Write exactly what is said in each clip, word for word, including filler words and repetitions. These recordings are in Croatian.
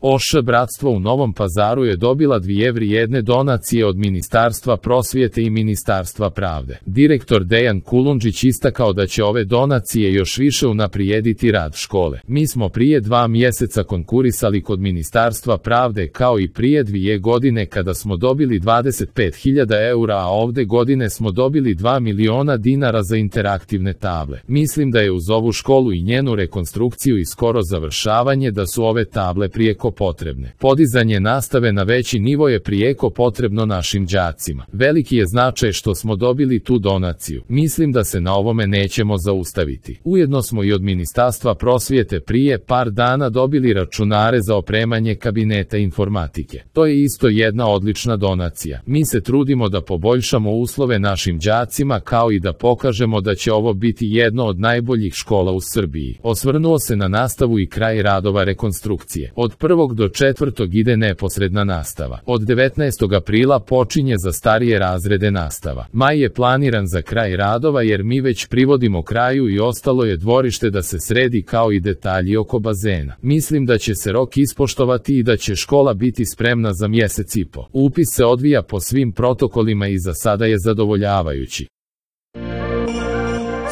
O Š Bratstvo u Novom Pazaru je dobila dvije vrijedne donacije od Ministarstva prosvjete i Ministarstva pravde. Direktor Dejan Kulundžić istakao da će ove donacije još više unaprijediti rad škole. Mi smo prije dva mjeseca konkurisali kod Ministarstva pravde kao i prije dvije godine kada smo dobili dvadeset pet hiljada eura, a ovde godine smo dobili dva miliona dinara za interaktivne table. Mislim da je uz ovu školu i njenu rekonstrukciju i skoro završavanje da su ove table prijeko potrebne. Podizanje nastave na veći nivo je prijeko potrebno našim đacima. Veliki je značaj što smo dobili tu donaciju. Mislim da se na ovome nećemo zaustaviti. Ujedno smo i od Ministarstva prosvjete prije par dana dobili računare za opremanje kabineta informatike. To je isto jedna odlična donacija. Mi se trudimo da poboljšamo uslove našim đacima kao i da pokažemo da će ovo biti jedno od najboljih škola u Srbiji. Osvrnuo se na nastavu i kraj radova rekonstrukcije. Od prvog do četvrtog ide neposredna nastava. Od devetnaestog aprila počinje za starije razrede nastava. Maj je planiran za kraj radova jer mi već privodimo kraju i ostalo je dvorište da se sredi kao i detalji oko bazena. Mislim da će se rok ispoštovati i da će škola biti spremna za mjesec i po. Upis se odvija po svim protokolima i za sada je zadovoljavajući.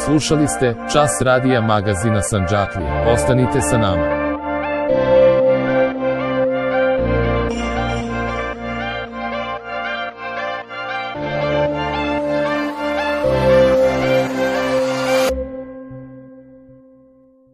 Slušali ste Čas radija magazina Sandžaklija. Ostanite sa nama.